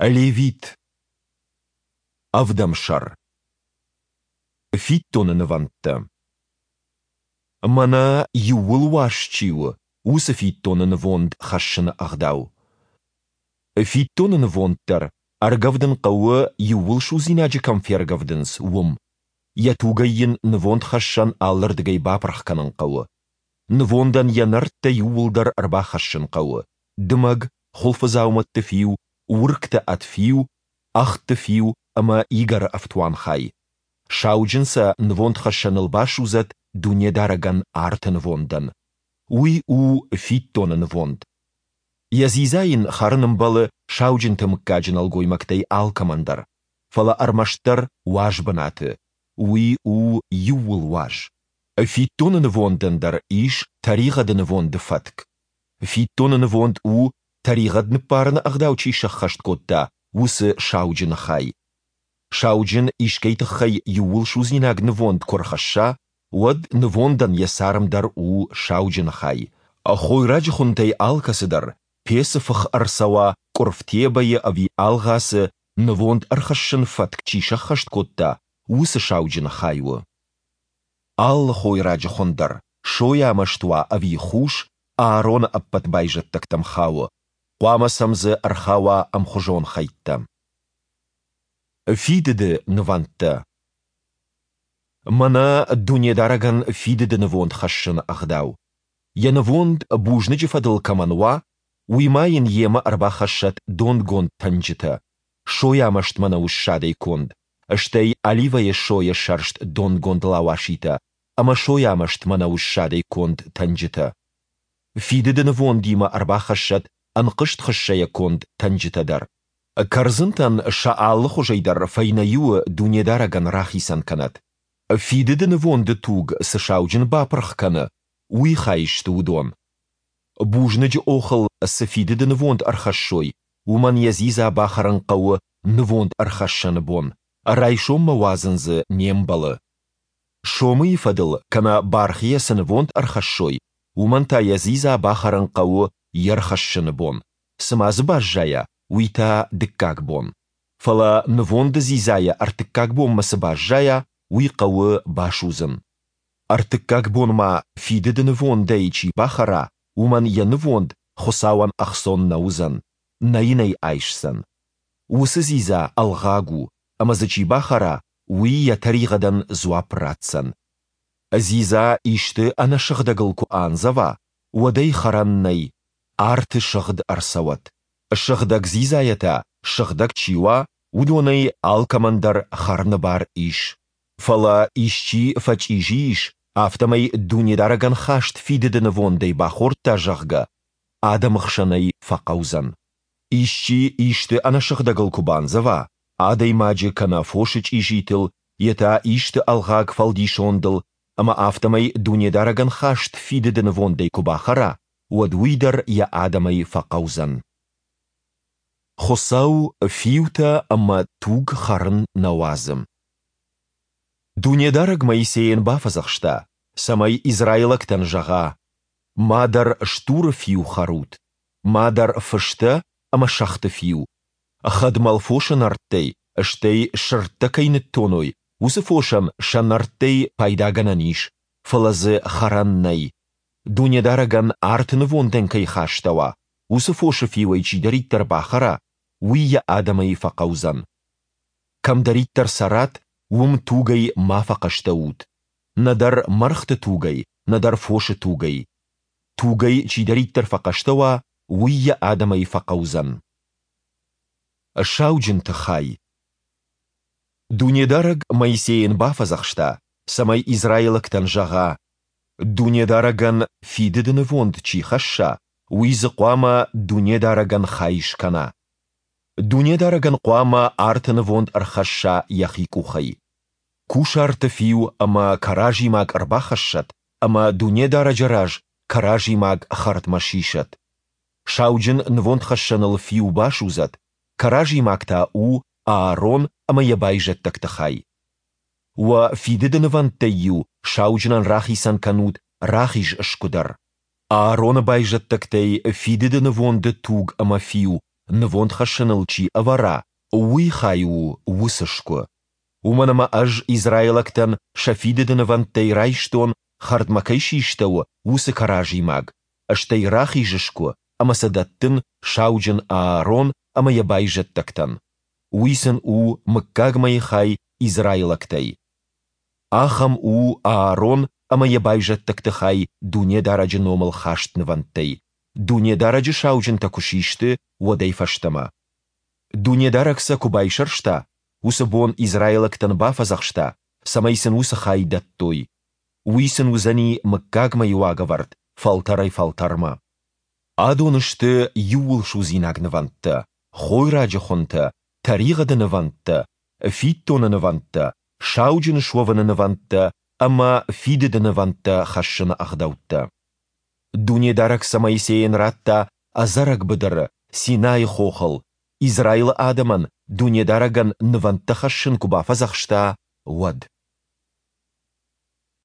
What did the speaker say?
Левит. Ӕвдӕм сӕр. Фиддоны нывӕндтӕ. Мӕнӕ иууыл уаз чи у, уыцы фиддоны нывонд хӕссыны ӕгъдау. Фиддоны нывонд дӕр ӕргӕвдын хъӕуы, иууылсудзинаджы кӕм фергӕвдынц, уым. Йӕ тугӕй йын нывондхӕссӕн алырдыгӕй бапырх кӕнын хъӕуы. Нывондӕн йӕ нӕрдтӕ иууылдӕр ӕрбахӕссын хъӕуы, дымӕг, хуылфыдзаумӕтты фиу, уыргтӕ ӕд фиу, ӕгъдты фиу ӕмӕ игӕры ӕфтуанхай. Сауджын сӕ нывондхӕссӕныл басудзӕд Дунедарӕгӕн арты нывондӕн. Уый у фиддоны нывонд. Йӕ дзидза йын хӕрын ӕмбӕлы сауджынты мыггаджы нӕлгоймӕгтӕй алкӕмӕн дӕр, фӕлӕ ӕрмӕстдӕр уаз бынаты. Уый у иууыл уаз. Фиддоны нывондӕн дӕр ис тӕригъӕды нывонды фӕтк. Фиддоны нывонд у, тӕригъӕд ныббарыны ӕгъдау чи сӕххӕст кодта, уыцы сауджыны хай. Сауджын искӕй тыххӕй иууылсудзинаг нывонд куы рхӕсса, уӕд нывондӕн йӕ царм дӕр у сауджыны хай. Хойраджы хуынтӕй алкӕцы дӕр, пецы фых ӕрцӕуа къуырф тебӕйы ӕви алгъацы, нывонд ӕрхӕссын фӕтк чи сӕххӕст кодта, уыцы сауджыны хай у. Алы хойраджы хуын дӕр, сойамӕст уа ӕви хус, Аароны ӕппӕт байзӕддӕгтӕм хауы, хъуамӕ сӕм дзы ӕрхауа ӕмхуызон хӕйттӕ. Фидыды нывӕндтӕ. Мӕнӕ Дунедарӕгӕн фидыды нывонд хӕссыны ӕгъдау. Йӕ нывонд бузныджы фӕдыл кӕмӕн уа, уый ма йын йемӕ ӕрбахӕссӕд донгонд тӕнджытӕ, сойамӕст мӕнӕуы ссадӕй конд, стӕй оливӕйы сойӕ сӕрст донгонд лауаситӕ ӕмӕ сойамӕст мӕнӕуы ссадӕй конд тӕнджытӕ. Фидыды нывондимӕ ӕрбахӕссӕд ӕнхъызт хыссӕйӕ конд тӕнджытӕ дӕр. Кӕрдзынтӕн сӕ алы хуызӕй дӕр фӕйнӕ иуы Дунедарӕгӕн рахицӕн кӕнӕд. Фидыды нывонды туг цы сауджын бапырх кӕны, уый хай сты уыдон. Бузныджы охыл цы фидыды нывонд ӕрхӕссой, уымӕн йӕ дзидза бахӕрын хъӕуы нывонд ӕрхӕссӕны бон, райсоммӕ уадзын дзы не мбӕлы. Сомыйы фӕдыл кӕнӕ бархийӕ цы нывонд ӕрхӕссой, уымӕн та йӕ дзидза бахӕрын хъӕуы йе рхӕссыны бон, цы ма дзы баззайа, уый та дыккаг бон. Фӕлӕ нывонды дзидзайӕ ӕртыккаг бонмӕ цы баззайа, уый хъӕуы басудзын. Ӕртыккаг бон ма фидыды нывондӕй чи бахӕра, уымӕн йӕ нывонд Хуыцауӕн ӕхцон нӕ уыдзӕн, нӕ йын ӕй айсдзӕн. Уыцы дзидза ӕлгъаг у, ӕмӕ дзы чи бахӕра, уый йӕ тӕригъӕдӕн дзуапп ратдзӕн. Дзидза исты ӕнӕсыгъдӕгыл куы андзӕва, уӕд ӕй хӕрӕн нӕй, арты сыгъд ӕрцӕуӕд. Сыгъдӕг дзидзайӕ та, сыгъдӕг чи уа, уыдонӕй алкӕмӕн дӕр хӕрыны бар ис. Фӕлӕ исчи фӕчъизи ис, афтӕмӕй Дунедарӕгӕн хаст фидыды нывондӕй бахордта, зӕгъгӕ, адӕмы хсӕн ӕй фӕхъӕудзӕн. Исчи исты ӕнӕсыгъдӕгыл куы бандзӕва, адӕймаджы кӕнӕ фосы чъизитыл, йе та исты ӕлгъаг фӕлдисондыл, ӕмӕ афтӕмӕй Дунедарӕгӕн хаст фидыды нывондӕй куы бахӕра, уӕд уый дӕр йӕ адӕмӕй фӕхъӕудзӕн. Хуыцау фиутӕ ӕмӕ туг хӕрын нӕ уадзы. Дунедарӕг Моисейӕн бафӕдзӕхста, цӕмӕй израилӕгтӕн зӕгъа: Мадӕр стуры фиу хӕрут, мадӕр фыстӕ ӕмӕ сӕгъты фиу, хӕдмӕл фосы нӕрдтӕй, стӕй сырдтӕ кӕй ныттоной, уыцы фосӕн сӕ нӕрдтӕй пайдагӕнӕн ис, фӕлӕ дзы хӕрӕн нӕй. Дунедарӕгӕн арты нывондӕн кӕй хастӕуа, уыцы фосы фиуӕй чидӕриддӕр бахӕра, уый йӕ адӕмӕй фӕхъӕудзӕн. Кӕмдӕриддӕр цӕрат, уым тугӕй ма фӕхъӕстӕ ут, нӕдӕр мӕргъты тугӕй, нӕдӕр фосы тугӕй. Тугӕй чидӕриддӕр фӕхъӕстӕ уа, уый йӕ адӕмӕй фӕхъӕудзӕн. Сауджынты хай. Дунедарӕг Моисейӕн бафӕдзӕхста, цӕмӕй израилӕгтӕн зӕгъа: Дунедарӕгӕн фидыды нывонд чи хӕсса, уый дзы хъуамӕ Дунедарӕгӕн хай скӕна. Дунедарӕгӕн хъуамӕ арты нывонд ӕрхӕсса йӕхи къухӕй. Кусарты фиу ӕмӕ кӕразимаг ӕрбахӕссӕд ӕмӕ Дунедарӕджы раз кӕразимаг хӕрдмӕ сисӕд. Сауджын нывондхӕссӕныл фиу басудзӕд, кӕразимаг та у Аарон ӕмӕ йӕ байзӕддӕгты хай. Уӕ фидыды нывӕндтӕй-иу сауджынӕн рахицӕн кӕнут рахиз сгуы дӕр. Аароны байзӕддӕгтӕй фидыды нывонды туг ӕмӕ фиу нывонд хӕссыныл чи ӕвӕра, уый хай у уыцы сгуы. Уымӕн ӕмӕ Ӕз израилӕгтӕн сӕ фидыды нывӕндтӕй райстон, хӕрдмӕ кӕй систӕуы, уыцы кӕразимаг, стӕй рахиз сгуы ӕмӕ сӕ дӕттын сауджын Аарон ӕмӕ йӕ байзӕддӕгтӕн. Уый сын у мыггагмӕйы хай израилӕгтӕй. Ахӕм у Аарон ӕмӕ йӕ байзӕддӕгты хай Дунедарӕджы номыл хаст нывӕндтӕй, Дунедарӕджы сауджынтӕ куы систы, уӕдӕй фӕстӕмӕ. Дунедарӕг сӕ куы байсӕрста, уыцы бон израилӕгтӕн бафӕдзӕхста, цӕмӕй сын уыцы хай дӕттой. Уый сын уыдзӕни мыггагмӕйы уагӕвӕрд фӕлтӕрӕй-фӕлтӕрмӕ. Адон сты иууылсудзинаг нывӕндтӕ, хойраджы хуынтӕ, тӕригъӕды нывӕндтӕ, фиддоны нывӕндтӕ, сауджын суӕвыны нывӕндтӕ ӕмӕ фидыды нывӕндтӕ хӕссыны ӕгъдӕуттӕ. Дунедарӕг сӕ Моисейӕн радта ӕдзӕрӕг быдыры, Синайы хохыл, Израилы адӕмӕн Дунедарӕгӕн нывӕндтӕ хӕссын куы бафӕдзӕхста, уӕд.